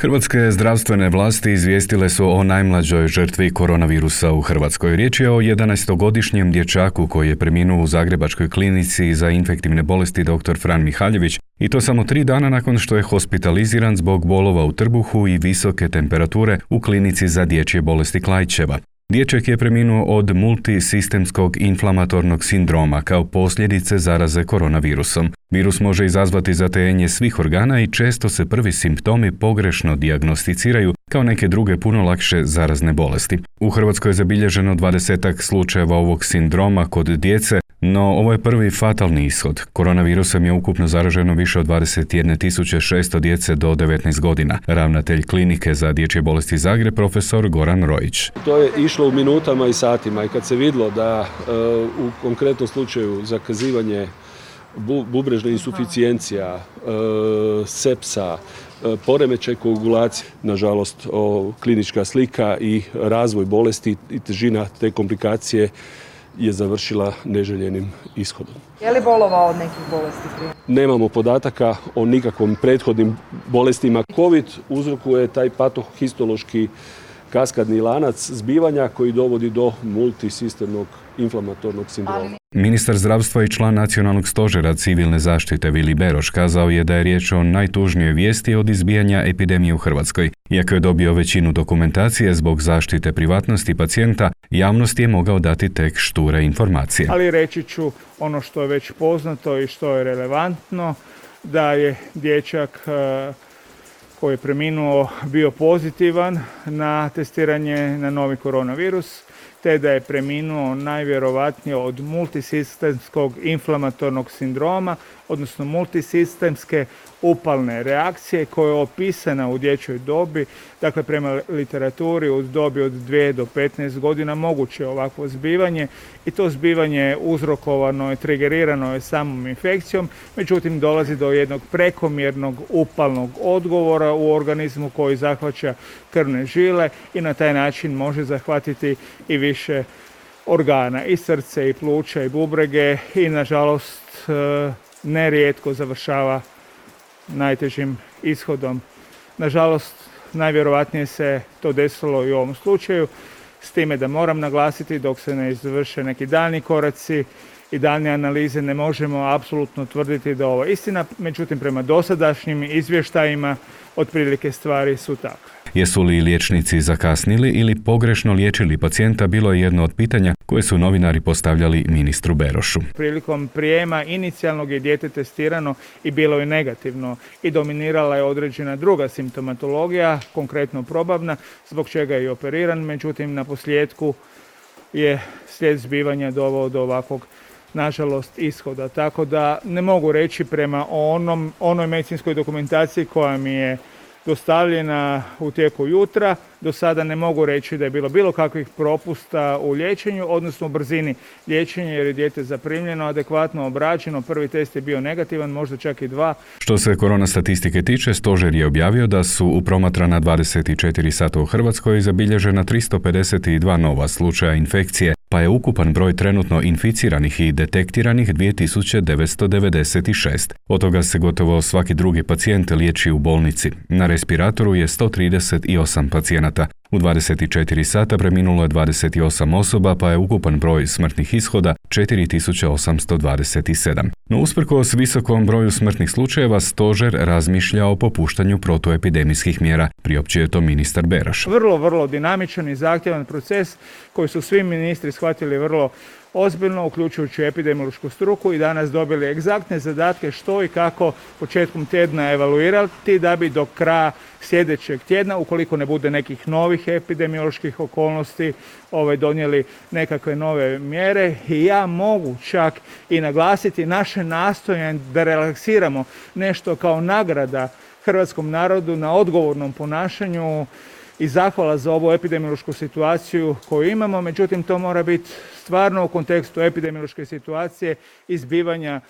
Hrvatske zdravstvene vlasti izvijestile su o najmlađoj žrtvi koronavirusa u Hrvatskoj. Riječ je o 11-godišnjem dječaku koji je preminuo u Zagrebačkoj klinici za infektivne bolesti dr. Fran Mihaljević i to samo 3 dana nakon što je hospitaliziran zbog bolova u trbuhu i visoke temperature u klinici za dječje bolesti Klaićeva. Dječak je preminuo od multisistemskog inflamatornog sindroma kao posljedice zaraze koronavirusom. Virus može izazvati zatajenje svih organa i često se prvi simptomi pogrešno dijagnosticiraju kao neke druge puno lakše zarazne bolesti. U Hrvatskoj je zabilježeno 20-ak slučajeva ovog sindroma kod djece, no ovo je prvi fatalni ishod. Koronavirusom je ukupno zaraženo više od 21.600 djece do 19 godina. Ravnatelj klinike za dječje bolesti Zagreb, profesor Goran Rojić. To je išlo u minutama i satima i kad se vidjelo da u konkretnom slučaju zakazivanje bubrežna insuficijencija, sepsa, poremećaj koagulacije, nažalost klinička slika i razvoj bolesti i težina te komplikacije je završila neželjenim ishodom. Je li bolovao od nekih bolesti prije? Nemamo podataka o nikakvom prethodnim bolestima. COVID uzrokuje taj patohistološki kaskadni lanac zbivanja koji dovodi do multisistemnog inflamatornog sindroma. Ministar zdravstva i član nacionalnog stožera civilne zaštite Vili Beroš kazao je da je riječ o najtužnijoj vijesti od izbijanja epidemije u Hrvatskoj. Iako je dobio većinu dokumentacije zbog zaštite privatnosti pacijenta, javnosti je mogao dati tek šture informacije. Ali reći ću ono što je već poznato i što je relevantno, da je dječak koji je preminuo bio pozitivan na testiranje na novi koronavirus, te da je preminuo najvjerovatnije od multisistemskog inflamatornog sindroma, odnosno multisistemske upalne reakcije koja je opisana u dječjoj dobi. Dakle, prema literaturi u dobi od 2 do 15 godina moguće je ovakvo zbivanje i to zbivanje je uzrokovano i trigerirano je samom infekcijom, međutim dolazi do jednog prekomjernog upalnog odgovora u organizmu koji zahvaća krvne žile i na taj način može zahvatiti i više organa, i srce, i pluća, i bubrege i nažalost nerijetko završava najtežim ishodom. Nažalost, najvjerojatnije se to desilo i u ovom slučaju, s time da moram naglasiti dok se ne izvrše neki daljnji koraci i daljnje analize ne možemo apsolutno tvrditi da ovo je istina, međutim prema dosadašnjim izvještajima otprilike stvari su takve. Jesu li liječnici zakasnili ili pogrešno liječili pacijenta bilo je jedno od pitanja koje su novinari postavljali ministru Berošu. Prilikom prijema inicijalnog je dijete testirano i bilo je negativno i dominirala je određena druga simptomatologija, konkretno probavna, zbog čega je i operiran, međutim na posljedku je slijed zbivanja doveo do ovakvog nažalost ishoda. Tako da ne mogu reći prema onoj medicinskoj dokumentaciji koja mi je dostavljena u tijeku jutra. Do sada ne mogu reći da je bilo kakvih propusta u liječenju, odnosno u brzini liječenja jer je dijete zaprimljeno, adekvatno obrađeno. Prvi test je bio negativan, možda čak i 2. Što se korona statistike tiče, stožer je objavio da su u promatrana 24 sata u Hrvatskoj zabilježena 352 nova slučaja infekcije, pa je ukupan broj trenutno inficiranih i detektiranih 2996. Od toga se gotovo svaki drugi pacijent liječi u bolnici. Na respiratoru je 138 pacijenata. U 24 sata preminulo je 28 osoba, pa je ukupan broj smrtnih ishoda 4827. No usprkos visokom broju smrtnih slučajeva, stožer razmišlja o popuštanju protuepidemijskih mjera, priopćuje to ministar Beroš. Vrlo dinamičan i zahtjevan proces koji su svi ministri shvatili vrlo ozbiljno, uključujući epidemiološku struku i danas dobili egzaktne zadatke što i kako početkom tjedna evaluirati da bi do kraja sljedećeg tjedna, ukoliko ne bude nekih novih epidemioloških okolnosti, donijeli nekakve nove mjere. I ja mogu čak i naglasiti naše nastojanje da relaksiramo nešto kao nagrada hrvatskom narodu na odgovornom ponašanju i zahvala za ovu epidemiološku situaciju koju imamo, međutim to mora biti stvarno u kontekstu epidemiološke situacije i zbivanja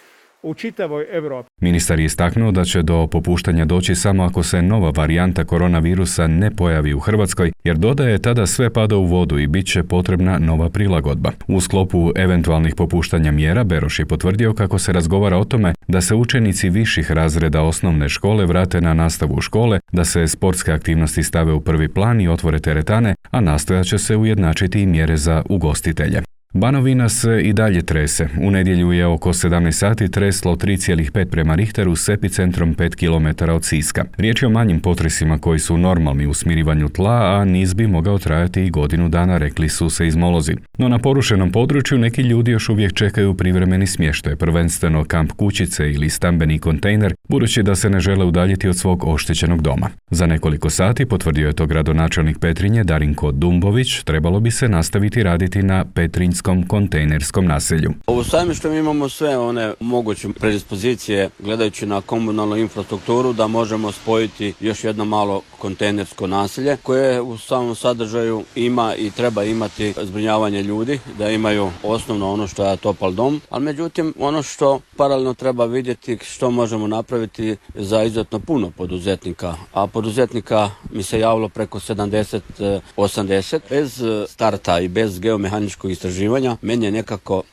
u čitavoj Europi. Ministar je istaknuo da će do popuštanja doći samo ako se nova varijanta koronavirusa ne pojavi u Hrvatskoj, jer dodaje tada sve pada u vodu i bit će potrebna nova prilagodba. U sklopu eventualnih popuštanja mjera Beroš je potvrdio kako se razgovara o tome da se učenici viših razreda osnovne škole vrate na nastavu u škole, da se sportske aktivnosti stave u prvi plan i otvore teretane, a nastojat će se ujednačiti i mjere za ugostitelje. Banovina se i dalje trese. U nedjelju je oko 17 sati treslo 3,5 prema Richteru s epicentrom 5 km od Siska. Riječ je o manjim potresima koji su normalni u smirivanju tla, a niz bi mogao trajati i godinu dana, rekli su seizmolozi. No na porušenom području neki ljudi još uvijek čekaju privremeni smještaj, prvenstveno kamp kućice ili stambeni kontejner, budući da se ne žele udaljiti od svog oštećenog doma. Za nekoliko sati, potvrdio je to gradonačelnik Petrinje Darinko Dumbović, trebalo bi se nastaviti raditi na Petrinjskom kontejnerskom naselju. U Sajmištu mi imamo sve one moguće predispozicije gledajući na komunalnu infrastrukturu da možemo spojiti još jedno malo kontejnersko naselje koje u samom sadržaju ima i treba imati zbrinjavanje ljudi, da imaju osnovno ono što je topal dom, ali međutim ono što paralelno treba vidjeti što možemo napraviti za izuzetno puno poduzetnika, a poduzetnika mi se javilo preko 70-80 bez starta i bez geomehaničkog istraživanja. Meni je nekako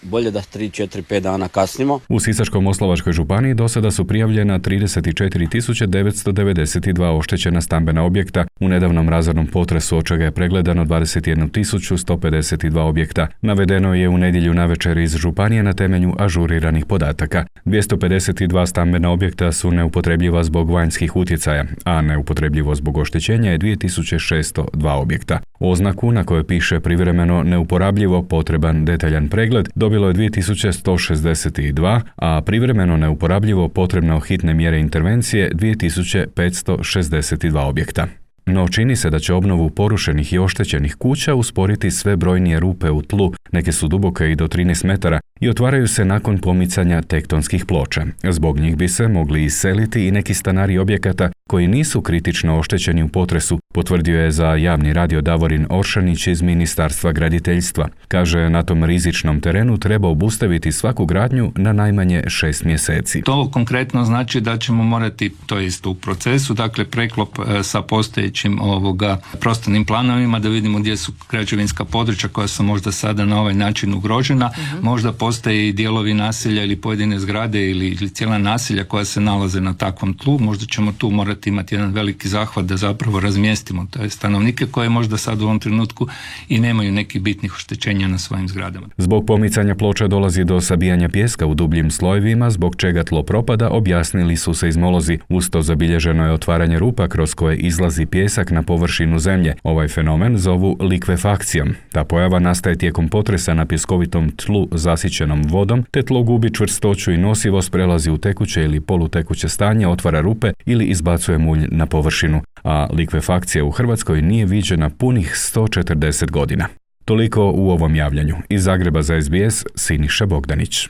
bolje da 3, 4, 5 dana kasnimo. U Sisačko-moslavačkoj županiji do sada su prijavljena 34.992 oštećena stambena objekta. U nedavnom razornom potresu od čega je pregledano 21.152 objekta. Navedeno je u nedjelju navečer iz županije na temelju ažuriranih podataka. 252 stambena objekta su neupotrebljiva zbog vanjskih utjecaja, a neupotrebljivo zbog oštećenja je 2602 objekta. Oznaku na kojoj piše privremeno neuporabljivo potreban detaljan pregled dobilo je 2162, a privremeno neuporabljivo potrebno hitne mjere intervencije 2562 objekta. No čini se da će obnovu porušenih i oštećenih kuća usporiti sve brojnije rupe u tlu, neke su duboke i do 13 metara i otvaraju se nakon pomicanja tektonskih ploča. Zbog njih bi se mogli iseliti i neki stanari objekata koji nisu kritično oštećeni u potresu, potvrdio je za javni radio Davorin Oršanić iz Ministarstva graditeljstva. Kaže, na tom rizičnom terenu treba obustaviti svaku gradnju na najmanje 6 mjeseci. To konkretno znači da ćemo morati, to jest u procesu, dakle preklop sa postojećim prostornim planovima da vidimo gdje su građevinska područja koja su možda sada na ovaj način ugrožena. Možda postoje i dijelovi naselja ili pojedine zgrade ili cijela naselja koja se nalaze na takvom tlu. Možda ćemo tu morati imati jedan veliki zahvat da zapravo razmjestimo te stanovnike koje možda sad u ovom trenutku i nemaju nekih bitnih oštećenja na svojim zgradama. Zbog pomicanja ploča dolazi do sabijanja pijeska u dubljim slojevima, zbog čega tlo propada, objasnili su seizmolozi. Uz to zabilježeno je otvaranje rupa kroz koje izlazi pijesak na površinu zemlje. Ovaj fenomen zovu likvefakcijom. Ta pojava nastaje tijekom potresa na pjeskovitom tlu zasićenom vodom, te tlo gubi čvrstoću i nosivost, prelazi u tekuće ili polutekuće stanje, otvara rupe ili izbacuje mulj na površinu, a likvefakcija u Hrvatskoj nije viđena punih 140 godina. Toliko u ovom javljanju. Iz Zagreba za SBS, Siniša Bogdanić.